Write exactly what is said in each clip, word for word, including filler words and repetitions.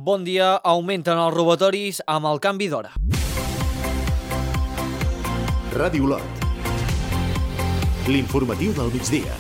Bon dia, augmenten els robatoris amb el canvi d'hora. Ràdio Lot. L'informatiu del migdia.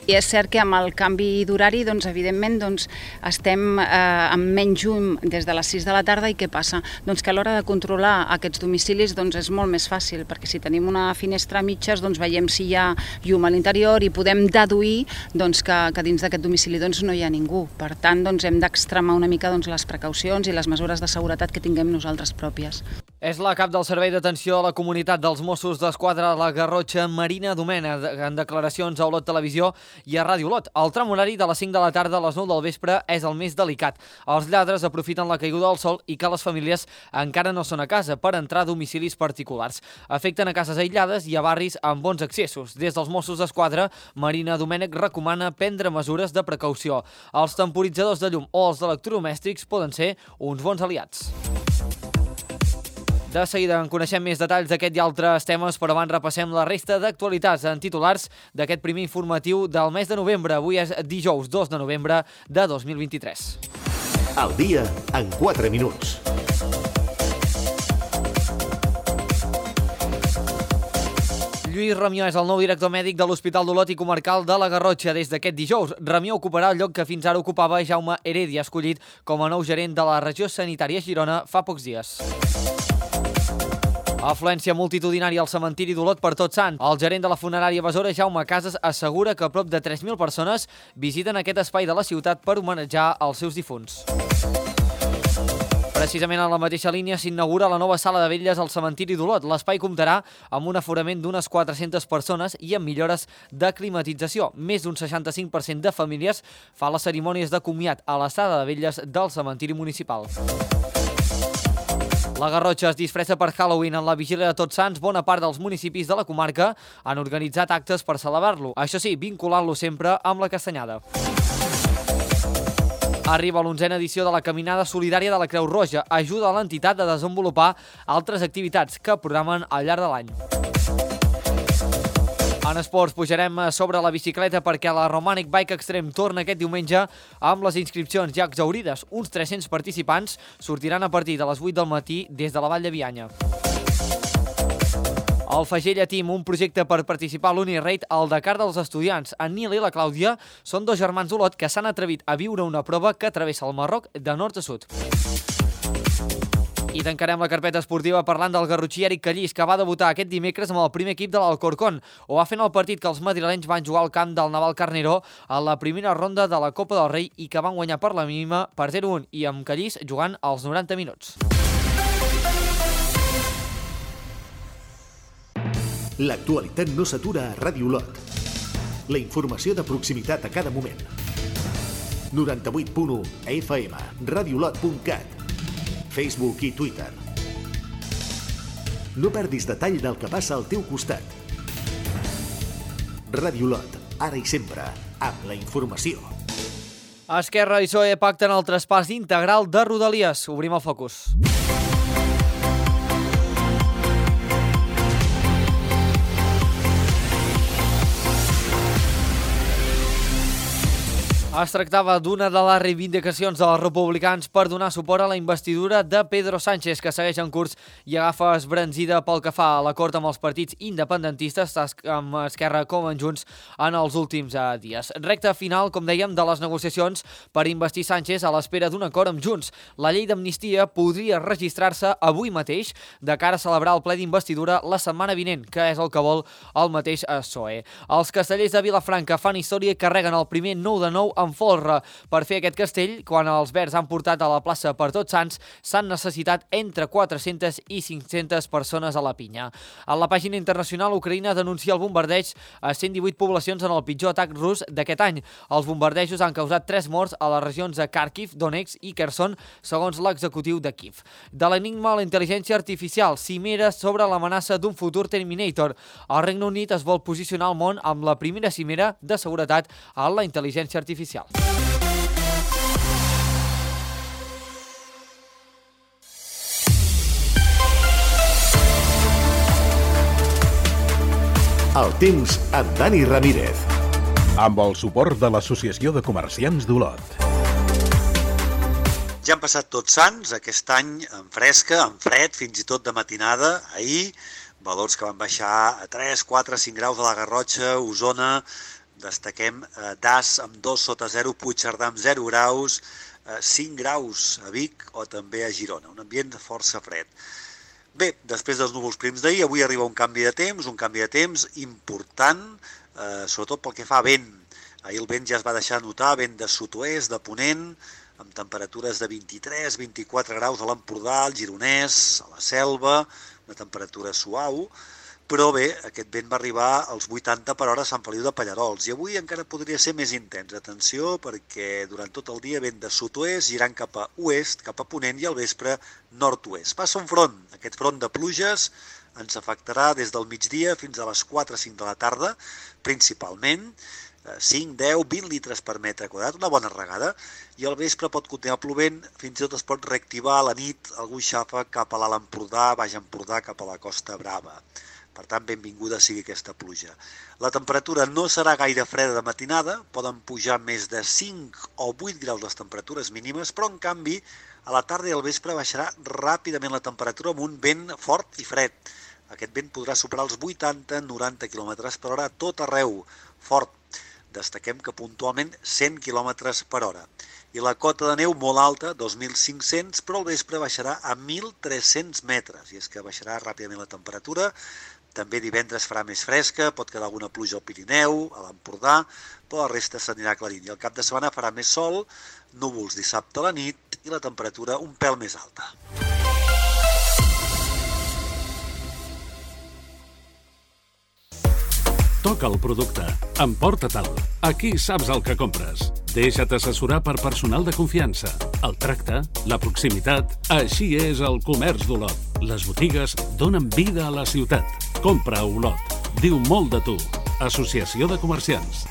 I és cert que amb el canvi d'horari, doncs, evidentment, doncs, estem eh, amb menys llum des de les sis de la tarda i què passa? Doncs que a l'hora de controlar aquests domicilis doncs, és molt més fàcil, perquè si tenim una finestra a mitges doncs, veiem si hi ha llum a l'interior i podem deduir doncs, que, que dins d'aquest domicili doncs, no hi ha ningú. Per tant, doncs, hem d'extremar una mica doncs, les precaucions i les mesures de seguretat que tinguem nosaltres pròpies. És la cap del Servei d'Atenció a la Comunitat dels Mossos d'Esquadra de la Garrotxa, Marina Domènech, en declaracions a Olot Televisió i a Ràdio Lot. El tram horari de les cinc de la tarda a les nou del vespre és el més delicat. Els lladres aprofiten la caiguda del sol i que les famílies encara no són a casa per entrar a domicilis particulars. Afecten a cases aïllades i a barris amb bons accessos. Des dels Mossos d'Esquadra, Marina Domènech recomana prendre mesures de precaució. Els temporitzadors de llum o els electrodomèstics poden ser uns bons aliats. De seguida en coneixem més detalls d'aquest i altres temes, però abans repassem la resta d'actualitats en titulars d'aquest primer informatiu del mes de novembre. Avui és dijous dos de novembre de dos mil vint-i-tres. El dia en quatre minuts. Lluís Ramió és el nou director mèdic de l'Hospital d'Olot i Comarcal de la Garrotxa des d'aquest dijous. Ramió ocuparà el lloc que fins ara ocupava Jaume Heredia, escollit com a nou gerent de la regió sanitària Girona fa pocs dies. Afluència multitudinària al cementiri d'Olot per Tots Sants. El gerent de la funerària Besora, Jaume Casas, assegura que prop de tres mil persones visiten aquest espai de la ciutat per homenatjar els seus difunts. Precisament en la mateixa línia s'inaugura la nova sala de vetlles al cementiri d'Olot. L'espai comptarà amb un aforament d'unes quatre-centes persones i amb millores de climatització. Més d'un seixanta-cinc per cent de famílies fa les cerimònies de comiat a la sala de vetlles del cementiri municipal. La Garrotxa es disfressa per Halloween. En la vigília de Tots Sants, bona part dels municipis de la comarca han organitzat actes per celebrar-lo. Això sí, vinculant-lo sempre amb la castanyada. Arriba l'onzena edició de la Caminada Solidària de la Creu Roja. Ajuda a l'entitat a desenvolupar altres activitats que programen al llarg de l'any. En esports pujarem sobre la bicicleta perquè la Romanic Bike Extreme torna aquest diumenge amb les inscripcions ja exhaurides. Uns tres-cents participants sortiran a partir de les vuit del matí des de la Vall de Bianya. El Fagella Team, un projecte per participar a l'Uniraid al Dakar dels estudiants. En Nil i la Clàudia són dos germans d'Olot que s'han atrevit a viure una prova que travessa el Marroc de nord a sud. I tancarem la carpeta esportiva parlant del garrotxí Eric Callís, que va debutar aquest dimecres amb el primer equip de l'Alcorcón. Ho va fer en el partit que els madrilenys van jugar al camp del Naval Carneró a la primera ronda de la Copa del Rei i que van guanyar per la mínima per zero a un i amb Callís jugant als noranta minuts. L'actualitat no s'atura a Ràdio Lot. La informació de proximitat a cada moment. noranta-vuit punt u F M, radiolot punt cat, Facebook i Twitter. No perdis detall del que passa al teu costat. Ràdio Lot, ara i sempre, amb la informació. Esquerra i P S O E pacten el traspàs integral de Rodalies. Obrim el focus. Es tractava d'una de les reivindicacions dels republicans per donar suport a la investidura de Pedro Sánchez, que segueix en curs i agafa esbranzida pel que fa a l'acord amb els partits independentistes, amb Esquerra com en Junts, en els últims dies. Recta final, com dèiem, de les negociacions per investir Sánchez a l'espera d'un acord amb Junts. La llei d'amnistia podria registrar-se avui mateix de cara a celebrar el ple d'investidura la setmana vinent, que és el que vol el mateix P S O E. Els castellers de Vilafranca fan història i carreguen el primer nou de nou amb folre. Per fer aquest castell, quan els verds han portat a la plaça per Tots Sants, s'han necessitat entre quatre-centes i cinc-centes persones a la pinya. A la pàgina internacional, Ucraïna denuncia el bombardeig a cent divuit poblacions en el pitjor atac rus d'aquest any. Els bombardejos han causat tres morts a les regions de Kharkiv, Donetsk i Kherson, segons l'executiu de Kiev. De l'enigma a la intel·ligència artificial, cimera sobre l'amenaça d'un futur Terminator. El Regne Unit es vol posicionar al món amb la primera cimera de seguretat a la intel·ligència artificial. El temps amb Dani Ramírez. amb el suport de l'Associació de Comerciants d'Olot. Ja han passat tots sants, aquest any en fresca, en fred, fins i tot de matinada, ahir, valors que van baixar a tres, quatre, cinc graus a la Garrotxa, Osona, destaquem eh, Das amb dos sota zero, Puigcerdà amb zero graus, eh, cinc graus a Vic o també a Girona, un ambient força fred. Bé, després dels núvols prims d'ahir, avui arriba un canvi de temps, un canvi de temps important, eh, sobretot pel que fa a vent. Ahir el vent ja es va deixar notar, vent de sud-oest, de ponent, amb temperatures de vint-i-tres a vint-i-quatre graus a l'Empordà, al Gironès, a la Selva, una temperatura suau, però bé, aquest vent va arribar als vuitanta per hora a Sant Feliu de Pallarols i avui encara podria ser més intens. Atenció, perquè durant tot el dia vent de sud-oest, girant cap a oest, cap a ponent i al vespre nord-oest. Passa un front, aquest front de pluges ens afectarà des del migdia fins a les quatre o cinc de la tarda, principalment, cinc, deu, vint litres per metre quadrat, una bona regada, i al vespre pot continuar plovent, fins i tot es pot reactivar a la nit algun xàfec cap a l'Alt Empordà, Baix Empordà, cap a la Costa Brava. Per tant, benvinguda sigui aquesta pluja. La temperatura no serà gaire freda de matinada, poden pujar més de cinc o vuit graus les temperatures mínimes, però en canvi a la tarda i al vespre baixarà ràpidament la temperatura amb un vent fort i fred. Aquest vent podrà superar els vuitanta a noranta quilòmetres per hora a tot arreu, fort. Destaquem que puntualment cent quilòmetres per hora. I la cota de neu molt alta, dos mil cinc-cents, però al vespre baixarà a mil tres-cents metres. I és que baixarà ràpidament la temperatura. També divendres farà més fresca, pot quedar alguna pluja al Pirineu, a l'Empordà, però la resta s'anirà aclarint. I el cap de setmana farà més sol, núvols dissabte a la nit i la temperatura un pèl més alta. Toca el producte. Emporta-te'l. Aquí saps el que compres. Deixa't assessorar per personal de confiança. El tracte, la proximitat... Així és el comerç d'Olot. Les botigues donen vida a la ciutat. Compra a Olot. Diu molt de tu. Associació de Comerciants.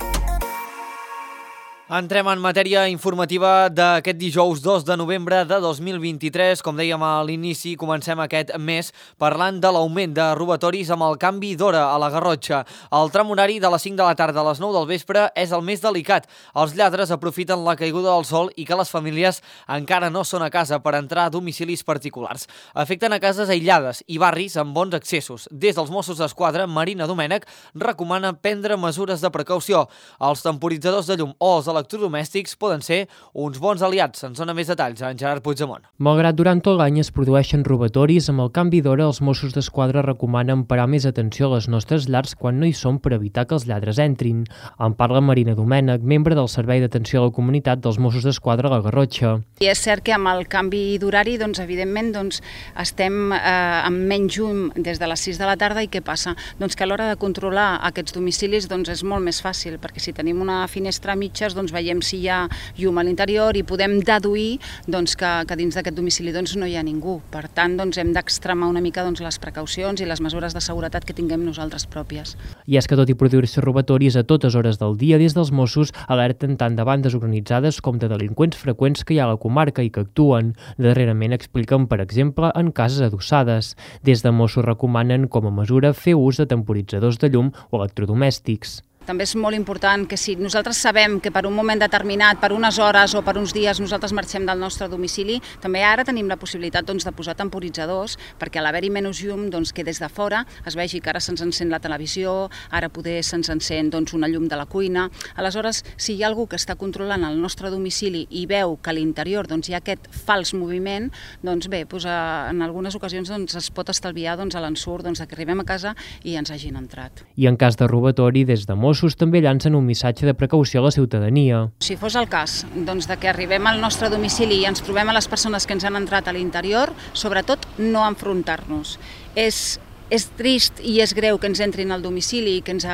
Entrem en matèria informativa d'aquest dijous dos de novembre de dos mil vint-i-tres. Com dèiem a l'inici, comencem aquest mes parlant de l'augment de robatoris amb el canvi d'hora a la Garrotxa. El tram horari de les cinc de la tarda a les nou del vespre és el més delicat. Els lladres aprofiten la caiguda del sol i que les famílies encara no són a casa per entrar a domicilis particulars. Afecten a cases aïllades i barris amb bons accessos. Des dels Mossos d'Esquadra, Marina Domènech recomana prendre mesures de precaució. Els temporitzadors de llum o els electrodomèstics poden ser uns bons aliats. Ens dona més detalls en Gerard Puigdemont. Malgrat durant tot l'any es produeixen robatoris, amb el canvi d'hora els Mossos d'Esquadra recomanen parar més atenció a les nostres llars quan no hi són per evitar que els lladres entrin. En parla Marina Domènech, membre del Servei d'Atenció a la Comunitat dels Mossos d'Esquadra a la Garrotxa. I és cert que amb el canvi d'horari, doncs, evidentment, doncs, estem eh, amb menys llum des de les sis de la tarda i què passa? Doncs que a l'hora de controlar aquests domicilis doncs, és molt més fàcil, perquè si tenim una finestra a mitges, doncs, veiem si hi ha llum a l'interior i podem deduir doncs, que, que dins d'aquest domicili doncs, no hi ha ningú. Per tant, doncs, hem d'extremar una mica doncs, les precaucions i les mesures de seguretat que tinguem nosaltres pròpies. I és que tot i produir-se robatoris a totes hores del dia, des dels Mossos alerten tant de bandes organitzades com de delinqüents freqüents que hi ha a la comarca i que actuen. Darrerament expliquen, per exemple, en cases adossades. Des de Mossos recomanen, com a mesura, fer ús de temporitzadors de llum o electrodomèstics. També és molt important que si nosaltres sabem que per un moment determinat, per unes hores o per uns dies nosaltres marxem del nostre domicili, també ara tenim la possibilitat doncs, de posar temporitzadors perquè a l'haver-hi menys llum doncs, que des de fora es vegi que ara se'ns encén la televisió, ara poder se'ns encén doncs, una llum de la cuina. Aleshores, si hi ha algú que està controlant el nostre domicili i veu que a l'interior doncs, hi ha aquest fals moviment, doncs bé, doncs, en algunes ocasions doncs, es pot estalviar doncs, a l'ensurt doncs, que arribem a casa i ens hagin entrat. I en cas de robatori, des de Mossos també llancen un missatge de precaució a la ciutadania. Si fos el cas doncs, de que arribem al nostre domicili i ens trobem a les persones que ens han entrat a l'interior, sobretot no enfrontar-nos. És, és trist i és greu que ens entrin al domicili i que ens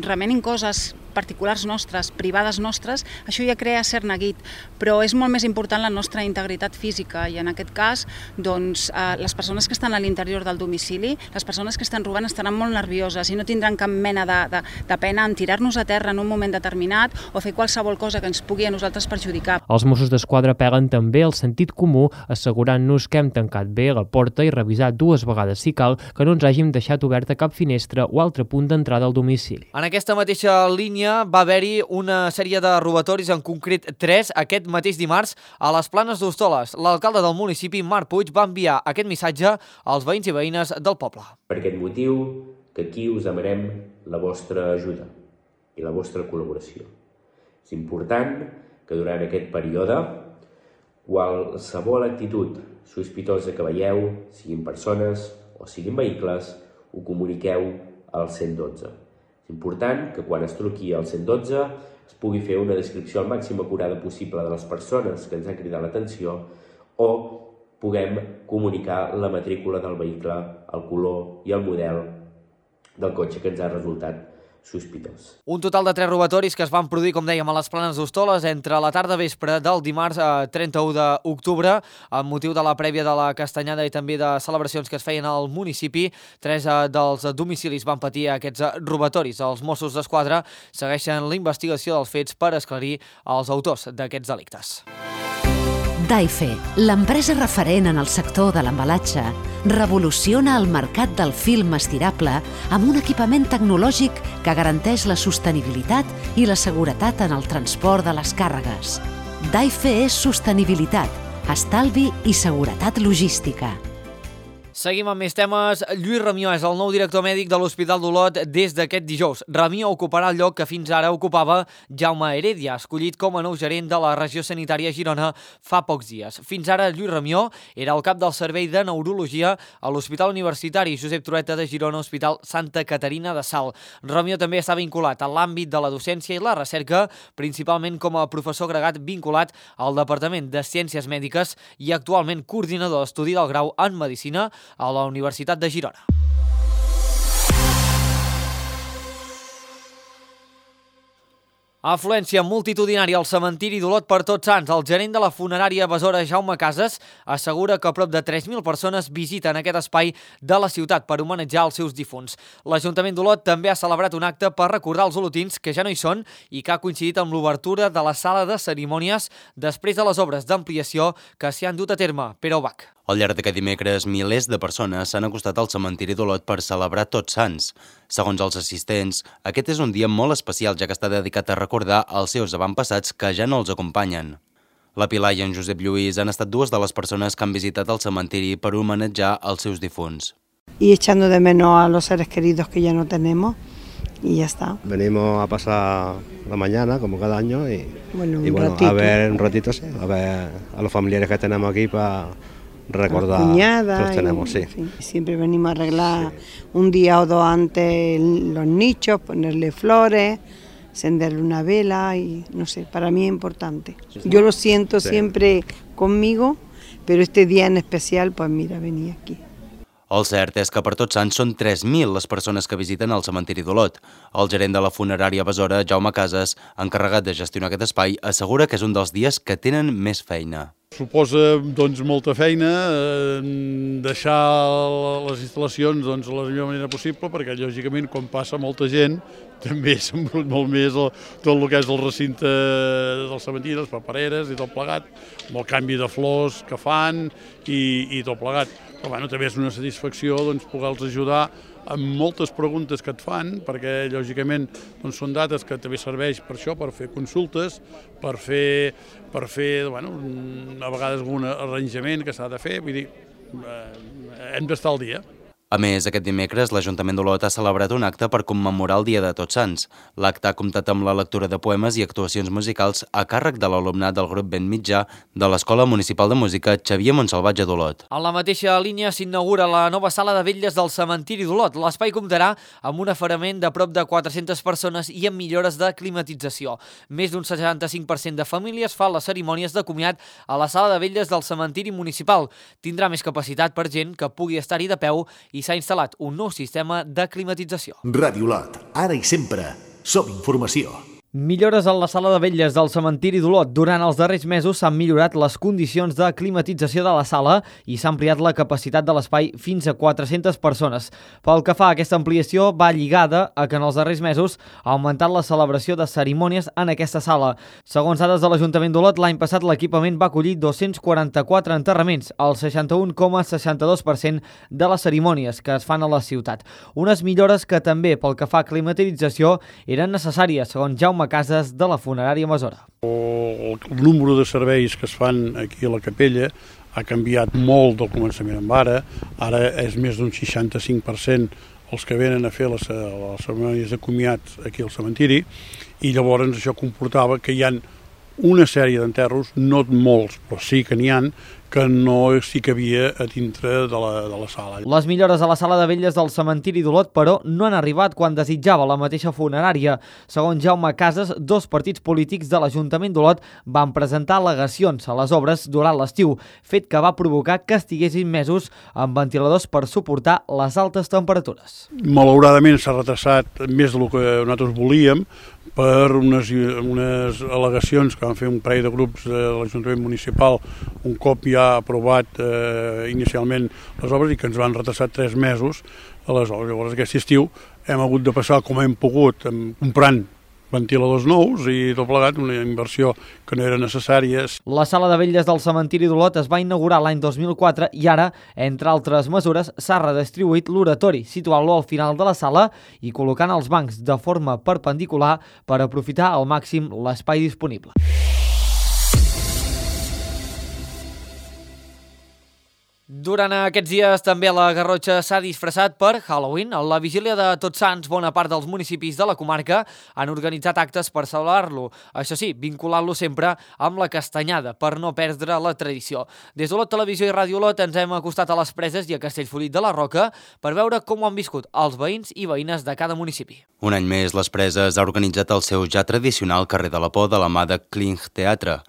remenin coses particulars nostres, privades nostres, això ja crea cert neguit, però és molt més important la nostra integritat física i en aquest cas, doncs, eh, les persones que estan a l'interior del domicili, les persones que estan robant estaran molt nervioses i no tindran cap mena de, de, de pena en tirar-nos a terra en un moment determinat o fer qualsevol cosa que ens pugui a nosaltres perjudicar. Els Mossos d'Esquadra apel·len també al sentit comú, assegurant-nos que hem tancat bé la porta i revisat dues vegades si cal que no ens hàgim deixat oberta cap finestra o altre punt d'entrada al domicili. En aquesta mateixa línia línia va haver-hi una sèrie de robatoris, en concret tres, aquest mateix dimarts a les Planes d'Hostoles. L'alcalde del municipi, Marc Puig, va enviar aquest missatge als veïns i veïnes del poble. Per aquest motiu, que aquí us demanem la vostra ajuda i la vostra col·laboració. És important que durant aquest període qualsevol actitud sospitosa que veieu, siguin persones o siguin vehicles, ho comuniqueu al cent dotze. És important que quan es truqui al cent dotze es pugui fer una descripció al màxim acurada possible de les persones que ens han cridat l'atenció o puguem comunicar la matrícula del vehicle, el color i el model del cotxe que ens ha resultat sospitós. Un total de tres robatoris que es van produir, com dèiem, a les Planes d'Hostoles entre la tarda vespre del dimarts trenta-u d'octubre, amb motiu de la prèvia de la Castanyada i també de celebracions que es feien al municipi. Tres dels domicilis van patir aquests robatoris. Els Mossos d'Esquadra segueixen la investigació dels fets per esclarir els autors d'aquests delictes. Daife, l'empresa referent en el sector de l'embalatge, revoluciona el mercat del film estirable amb un equipament tecnològic que garanteix la sostenibilitat i la seguretat en el transport de les càrregues. Daife és sostenibilitat, estalvi i seguretat logística. Seguim amb més temes. Lluís Ramió és el nou director mèdic de l'Hospital d'Olot des d'aquest dijous. Ramió ocuparà el lloc que fins ara ocupava Jaume Heredia, escollit com a nou gerent de la regió sanitària Girona fa pocs dies. Fins ara, Lluís Ramió era el cap del servei de neurologia a l'Hospital Universitari Josep Trueta de Girona, Hospital Santa Caterina de Salt. Ramió també està vinculat a l'àmbit de la docència i la recerca, principalment com a professor agregat vinculat al Departament de Ciències Mèdiques i actualment coordinador d'estudi del grau en Medicina a la Universitat de Girona. Afluència multitudinària al cementiri d'Olot per Tots Sants. El gerent de la funerària Besora, Jaume Casas, assegura que prop de tres mil persones visiten aquest espai de la ciutat per homenatjar els seus difunts. L'Ajuntament d'Olot també ha celebrat un acte per recordar els olotins que ja no hi són i que ha coincidit amb l'obertura de la sala de cerimònies després de les obres d'ampliació que s'hi han dut a terme. Pere Ubach. Al llarg d'aquest dimecres, milers de persones s'han acostat al cementiri d'Olot per celebrar Tots Sants. Segons els assistents, aquest és un dia molt especial, ja que està dedicat a recordar els seus avantpassats que ja no els acompanyen. La Pilar i en Josep Lluís han estat dues de les persones que han visitat el cementiri per homenatjar els seus difunts. Y echando de menos a los seres queridos que ya no tenemos. Y ya está. Venimos a pasar la mañana, como cada año, y, bueno, y bueno, ratito. a ver un ratito, sí, a ver a los familiares que tenemos aquí para recordar cuñada, que los tenemos, y, sí. En fin, siempre venimos a arreglar sí. un día o dos antes los nichos, ponerle flores, encenderle una vela y no sé, para mí es importante. Sí. Yo lo siento sí. siempre conmigo, pero este día en especial, pues mira, venir aquí. El cert és que per Tots Sants són tres mil les persones que visiten el cementiri d'Olot. El gerent de la funerària Besora, Jaume Casas, encarregat de gestionar aquest espai, assegura que és un dels dies que tenen més feina. Suposa doncs, molta feina, eh, deixar les instal·lacions doncs, de la millor manera possible, perquè lògicament quan passa molta gent també s'embrut molt més el, tot el que és el recinte del cementiri, les papereres i tot plegat, amb el canvi de flors que fan i, i tot plegat. Però bueno, també és una satisfacció doncs, poder-los ajudar amb moltes preguntes que et fan, perquè lògicament doncs, són dates que també serveix per això, per fer consultes, per fer, per fer bueno, a vegades algun arranjament que s'ha de fer, vull dir, eh, hem d'estar al dia. A més, aquest dimecres l'Ajuntament d'Olot ha celebrat un acte per commemorar el Dia de Tots Sants. L'acte ha comptat amb la lectura de poemes i actuacions musicals a càrrec de l'alumnat del grup Ben Mitjà de l'Escola Municipal de Música Xavier Montsalvatge d'Olot. En la mateixa línia s'inaugura la nova sala de vetlles del cementiri d'Olot. L'espai comptarà amb un afarament de prop de quatre-centes persones i amb millores de climatització. Més d'un setanta-cinc per cent de famílies fan les cerimònies de comiat a la sala de vetlles del cementiri municipal. Tindrà més capacitat per gent que pugui estar-hi de peu i s'ha instal·lat un nou sistema de climatització. Ràdio Olot, ara i sempre, som informació. Millores en la sala de vetlles del cementiri d'Olot. Durant els darrers mesos s'han millorat les condicions de climatització de la sala i s'ha ampliat la capacitat de l'espai fins a quatre-centes persones. Pel que fa a aquesta ampliació, va lligada a que en els darrers mesos ha augmentat la celebració de cerimònies en aquesta sala. Segons dades de l'Ajuntament d'Olot, l'any passat l'equipament va acollir dos-cents quaranta-quatre enterraments, el seixanta-un coma seixanta-dos per cent de les cerimònies que es fan a la ciutat. Unes millores que també, pel que fa a climatització, eren necessàries, segons Jaume Cases de la funerària Masora. El número de serveis que es fan aquí a la capella ha canviat molt del començament amb ara. Ara és més d'un seixanta-cinc per cent els que venen a fer les, les cerimònies de comiat aquí al cementiri, i llavors això comportava que hi ha una sèrie d'enterros, no molts, però sí que n'hi ha, que no sí que havia a dintre de la, de la sala. Les millores a la sala de vetlles del cementiri d'Olot, però, no han arribat quan desitjava la mateixa funerària. Segons Jaume Cases, dos partits polítics de l'Ajuntament d'Olot van presentar al·legacions a les obres durant l'estiu, fet que va provocar que estiguessin mesos amb ventiladors per suportar les altes temperatures. Malauradament s'ha retrasat més del que nosaltres volíem per unes, unes al·legacions que van fer un parell de grups de l'Ajuntament Municipal un cop ja aprovat eh, inicialment les obres i que ens van retrasar tres mesos a les obres. Llavors aquest estiu hem hagut de passar com hem pogut, comprant ventiladors nous i tot plegat, una inversió que no era necessària. La sala de vetlles del cementiri d'Olot es va inaugurar l'any dos mil quatre i ara, entre altres mesures, s'ha redistribuït l'oratori, situant-lo al final de la sala i col·locant els bancs de forma perpendicular per aprofitar al màxim l'espai disponible. Durant aquests dies també la Garrotxa s'ha disfressat per Halloween. A la vigília de Tots Sants, bona part dels municipis de la comarca han organitzat actes per celebrar-lo. Això sí, vinculant-lo sempre amb la castanyada, per no perdre la tradició. Des d'Olot Televisió i Ràdio Olot ens hem acostat a les Preses i a Castellfollit de la Roca per veure com ho han viscut els veïns i veïnes de cada municipi. Un any més, les Preses ha organitzat el seu ja tradicional carrer de la Por de la mà de Kling Teatre.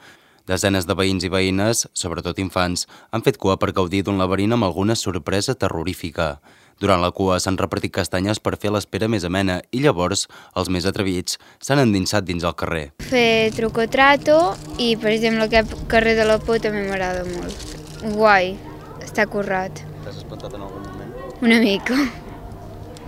Desenes de veïns i veïnes, sobretot infants, han fet cua per gaudir d'un laberint amb alguna sorpresa terrorífica. Durant la cua s'han repartit castanyes per fer l'espera més amena i llavors els més atrevits s'han endinsat dins el carrer. Fer truco trato i, per exemple, aquest carrer de la Por també m'agrada molt. Guai, està currat. T'has espantat en algun moment? Una mica.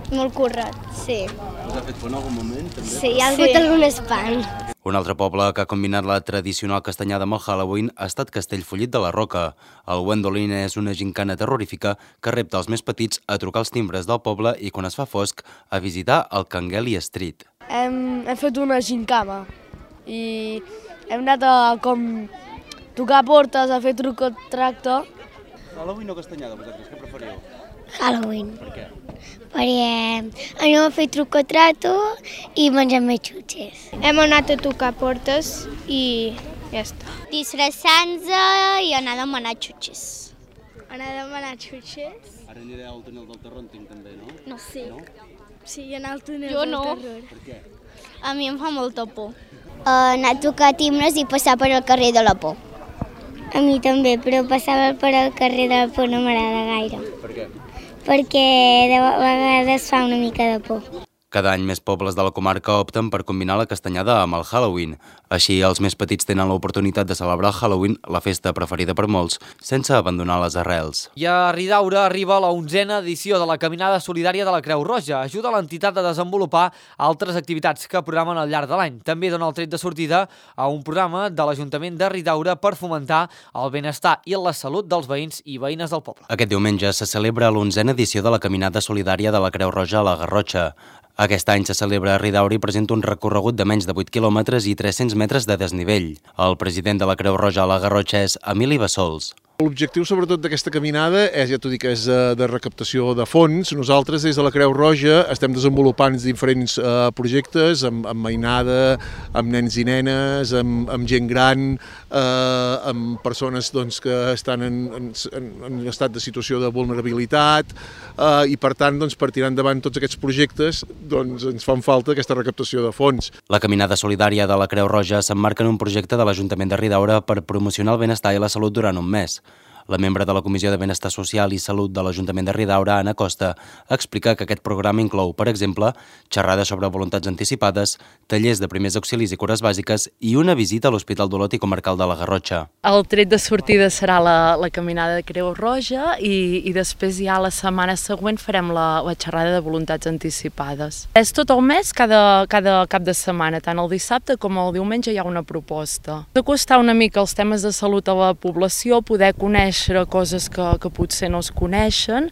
Molt currat, sí. Us ha fet por en algun moment, també? Sí, hi ha hagut sí. algun espant. Un altre poble que ha combinat la tradicional castanyada amb el Halloween ha estat Castellfollit de la Roca. El Wendolin és una gincana terrorífica que repta els més petits a trucar els timbres del poble i, quan es fa fosc, a visitar el Cangueli Street. Hem, hem fet una gincana i hem anat a com tocar portes, a fer truco tracte. Halloween o castanyada, vosaltres, què preferiu? Halloween. Per què? Perquè anem a fer truco trato i mengem més xutxes. Hem anat a tocar portes i ja està. Disfressant-se i anar a demanar xutxes. Anar a demanar xutxes? Ara aniré al túnel del terror, entenc, també, no? No. Sí. No? Sí, anar al túnel jo del no. terror. Per què? A mi em fa molta por. Uh, anar a tocar timbres i passar per al carrer de la Por. A mi també, però passar per al carrer de la Por no m'agrada gaire. Per què? Perquè de vegades fa una mica de por. Cada any més pobles de la comarca opten per combinar la castanyada amb el Halloween. Així, els més petits tenen l'oportunitat de celebrar el Halloween, la festa preferida per molts, sense abandonar les arrels. I a Ridaura arriba la onzena edició de la Caminada Solidària de la Creu Roja. Ajuda l'entitat a desenvolupar altres activitats que programen al llarg de l'any. També dona el tret de sortida a un programa de l'Ajuntament de Ridaura per fomentar el benestar i la salut dels veïns i veïnes del poble. Aquest diumenge se celebra l'onzena edició de la Caminada Solidària de la Creu Roja a la Garrotxa. Aquest any se celebra a Ridaura i presenta un recorregut de menys de vuit quilòmetres i tres-cents metres de desnivell. El president de la Creu Roja a la Garrotxa és Emili Bassols. L'objectiu sobretot d'aquesta caminada és, ja t'ho dic, és de recaptació de fons. Nosaltres des de la Creu Roja estem desenvolupant diferents eh, projectes amb, amb mainada, amb nens i nenes, amb, amb gent gran, eh, amb persones doncs, que estan en, en, en estat de situació de vulnerabilitat eh, i per tant doncs, per tirar endavant tots aquests projectes doncs, ens fan falta aquesta recaptació de fons. La Caminada Solidària de la Creu Roja s'emmarca en un projecte de l'Ajuntament de Ridaura per promocionar el benestar i la salut durant un mes. La membre de la Comissió de Benestar Social i Salut de l'Ajuntament de Ridaura, Anna Costa, explica que aquest programa inclou, per exemple, xerrades sobre voluntats anticipades, tallers de primers auxilis i cures bàsiques i una visita a l'Hospital d'Olot i Comarcal de la Garrotxa. El tret de sortida serà la, la caminada de Creu Roja i, i després ja la setmana següent farem la, la xerrada de voluntats anticipades. És tot el mes, cada, cada cap de setmana, tant el dissabte com el diumenge hi ha una proposta. Acostar una mica els temes de salut a la població, poder conèixer coses que, que potser no es coneixen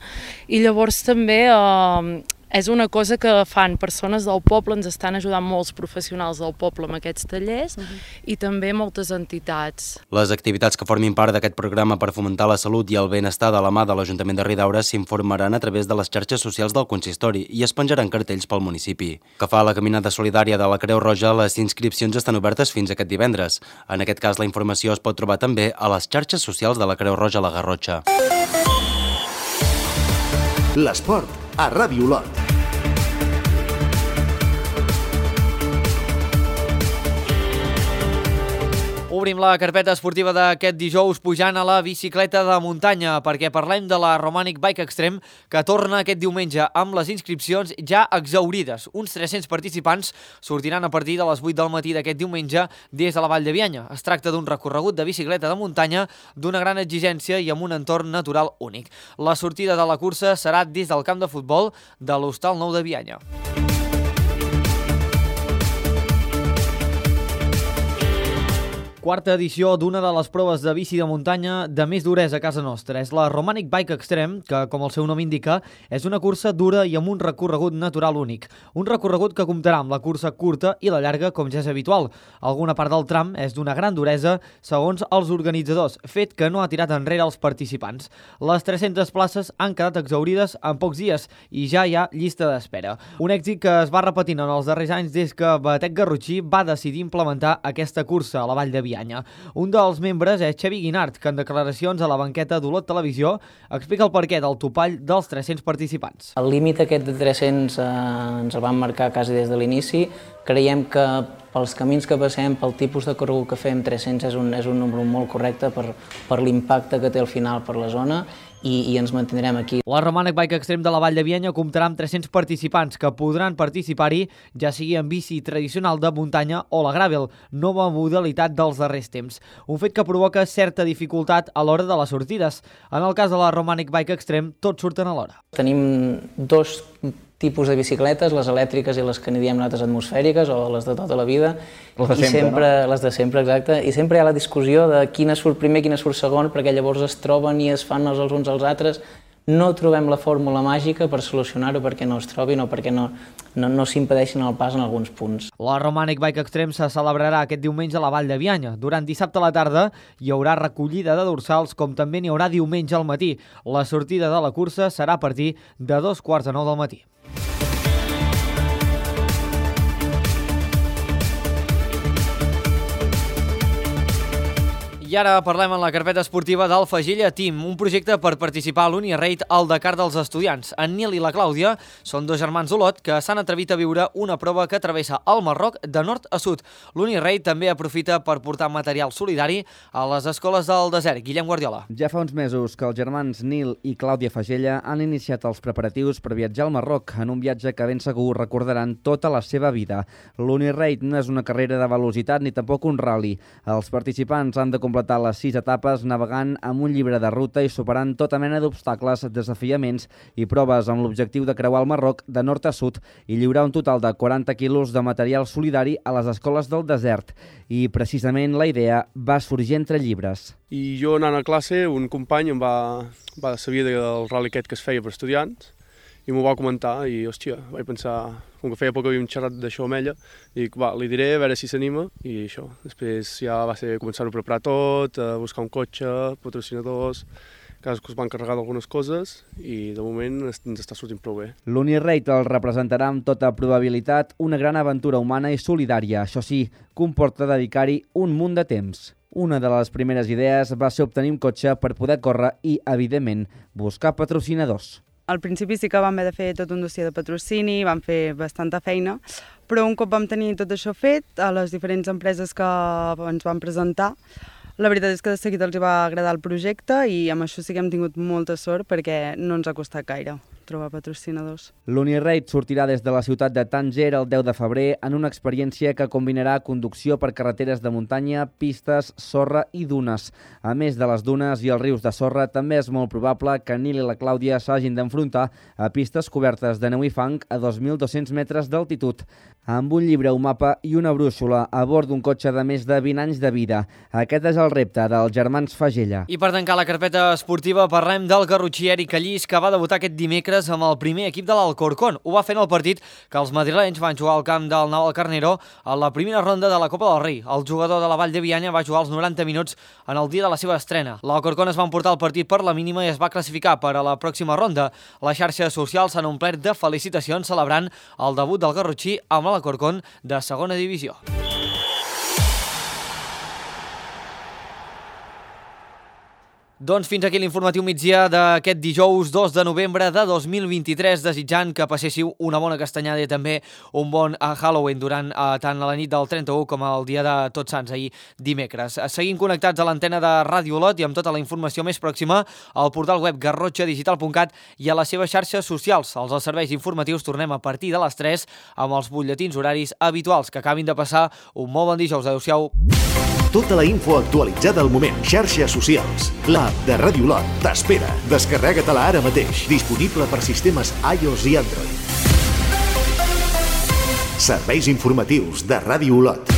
i llavors també eh, és una cosa que fan persones del poble, ens estan ajudant molts professionals del poble amb aquests tallers uh-huh. i també moltes entitats. Les activitats que formin part d'aquest programa per fomentar la salut i el benestar de la mà de l'Ajuntament de Ridaura s'informaran a través de les xarxes socials del consistori i es penjaran cartells pel municipi. Que fa la caminada solidària de la Creu Roja, les inscripcions estan obertes fins aquest divendres. En aquest cas, la informació es pot trobar també a les xarxes socials de la Creu Roja a la Garrotxa. L'esport a Ràdio Olot. Obrim la carpeta esportiva d'aquest dijous pujant a la bicicleta de muntanya perquè parlem de la Romanic Bike Extreme que torna aquest diumenge amb les inscripcions ja exhaurides. Uns tres-cents participants sortiran a partir de les vuit del matí d'aquest diumenge des de la Vall de Bianya. Es tracta d'un recorregut de bicicleta de muntanya d'una gran exigència i amb un entorn natural únic. La sortida de la cursa serà des del camp de futbol de l'Hostal Nou de Bianya. Quarta edició d'una de les proves de bici de muntanya de més duresa a casa nostra. És la Romanic Bike Extreme, que, com el seu nom indica, és una cursa dura i amb un recorregut natural únic. Un recorregut que comptarà amb la cursa curta i la llarga, com ja és habitual. Alguna part del tram és d'una gran duresa, segons els organitzadors, fet que no ha tirat enrere els participants. Les tres-centes places han quedat exhaurides en pocs dies i ja hi ha llista d'espera. Un èxit que es va repetint en els darrers anys des que Batec Garrotxí va decidir implementar aquesta cursa a la Vall de Bianya. Un dels membres és Xavi Guinart, que en declaracions a la banqueta d'Olot Televisió explica el perquè del topall dels tres-cents participants. El límit aquest de tres-cents eh, ens el vam marcar quasi des de l'inici. Creiem que pels camins que passem, pel tipus de corregut que fem, tres-cents és un, és un número molt correcte per, per l'impacte que té al final per la zona. I, i ens mantindrem aquí. La Romanic Bike Extreme de la Vall de Bianya comptarà amb tres-cents participants que podran participar-hi, ja sigui en bici tradicional de muntanya o la gravel, nova modalitat dels darrers temps. Un fet que provoca certa dificultat a l'hora de les sortides. En el cas de la Romanic Bike Extreme, tots surten a l'hora. Tenim dos tipus de bicicletes, les elèctriques i les que n'hi diem nosaltres atmosfèriques o les de tota la vida. Les de sempre, I sempre, no? Les de sempre, exacte. I sempre hi ha la discussió de quina surt primer, quina surt segon, perquè llavors es troben i es fan els uns als altres. No trobem la fórmula màgica per solucionar-ho perquè no es trobin o perquè no, no, no s'impedeixin el pas en alguns punts. La Romanic Bike Extreme se celebrarà aquest diumenge a la Vall de Bianya. Durant dissabte a la tarda hi haurà recollida de dorsals, com també n'hi haurà diumenge al matí. La sortida de la cursa serà a partir de dos quarts de nou del matí. I ara parlem en la carpeta esportiva del Fagella Team, un projecte per participar a l'Uni-Raid al Dakar dels estudiants. En Nil i la Clàudia són dos germans d'Olot que s'han atrevit a viure una prova que travessa el Marroc de nord a sud. L'Uni-Raid també aprofita per portar material solidari a les escoles del desert. Guillem Guardiola. Ja fa uns mesos que els germans Nil i Clàudia Fagella han iniciat els preparatius per viatjar al Marroc en un viatge que ben segur recordaran tota la seva vida. L'Uni-Raid no és una carrera de velocitat ni tampoc un rally. Els participants han de completar les sis etapes navegant amb un llibre de ruta i superant tota mena d'obstacles, desafiaments i proves amb l'objectiu de creuar el Marroc de nord a sud i lliurar un total de quaranta quilos de material solidari a les escoles del desert. I precisament la idea va sorgir entre llibres. I jo anant a classe, un company em va, va saber del rally aquest que es feia per estudiants i m'ho va comentar i, hòstia, vaig pensar, com que feia poc que havíem xerrat d'això amb ella, dic, va, li diré, a veure si s'anima, i això. Després ja va ser començar a preparar tot, a buscar un cotxe, patrocinadors, cadascú es va encarregar d'algunes coses i de moment ens està sortint prou bé. L'Uni-Raid el representarà amb tota probabilitat una gran aventura humana i solidària. Això sí, comporta dedicar-hi un munt de temps. Una de les primeres idees va ser obtenir un cotxe per poder córrer i, evidentment, buscar patrocinadors. Al principi sí que vam haver de fer tot un dossier de patrocini, vam fer bastanta feina, però un cop vam tenir tot això fet, a les diferents empreses que ens van presentar, La veritat és que de seguida els va agradar el projecte i amb això sí que hem tingut molta sort perquè no ens ha costat gaire trobar patrocinadors. L'Uniraid sortirà des de la ciutat de Tànger el deu de febrer en una experiència que combinarà conducció per carreteres de muntanya, pistes, sorra i dunes. A més de les dunes i els rius de sorra, també és molt probable que Nil i la Clàudia s'hagin d'enfrontar a pistes cobertes de neu i fang a dos mil dos-cents metres d'altitud. Amb un llibre, un mapa i una brúixola a bord d'un cotxe de més de vint anys de vida. Aquest és el repte dels germans Fagella. I per tancar la carpeta esportiva parlem del garrotxí Eric Callís, que va debutar aquest dimecres amb el primer equip de l'Alcorcón. Ho va fer en el partit que els madrilenys van jugar al camp del Navalcarnero a la primera ronda de la Copa del Rei. El jugador de la Vall de Bianya va jugar els noranta minuts en el dia de la seva estrena. L'Alcorcón es va emportar el partit per la mínima i es va classificar per a la pròxima ronda. Les xarxes socials s'han omplert de felicitacions celebrant el debut del garrotxí amb l'Alcorcón de segona divisió. Doncs fins aquí l'informatiu migdia d'aquest dijous dos de novembre de dos mil vint-i-tres, desitjant que passéssiu una bona castanyada i també un bon Halloween durant eh, tant a la nit del trenta-u com el dia de Tots Sants, ahir dimecres. Seguim connectats a l'antena de Ràdio Olot i amb tota la informació més pròxima al portal web garrotxa digital punt cat i a les seves xarxes socials. Els serveis informatius tornem a partir de les tres amb els butlletins horaris habituals. Que acabin de passar un molt bon dijous. Adéu-siau. Tota la info actualitzada al moment. Xarxes socials. L'app de Ràdio Olot t'espera. Descarrega-te-la ara mateix. Disponible per sistemes iOS i Android. Serveis informatius de Ràdio Olot.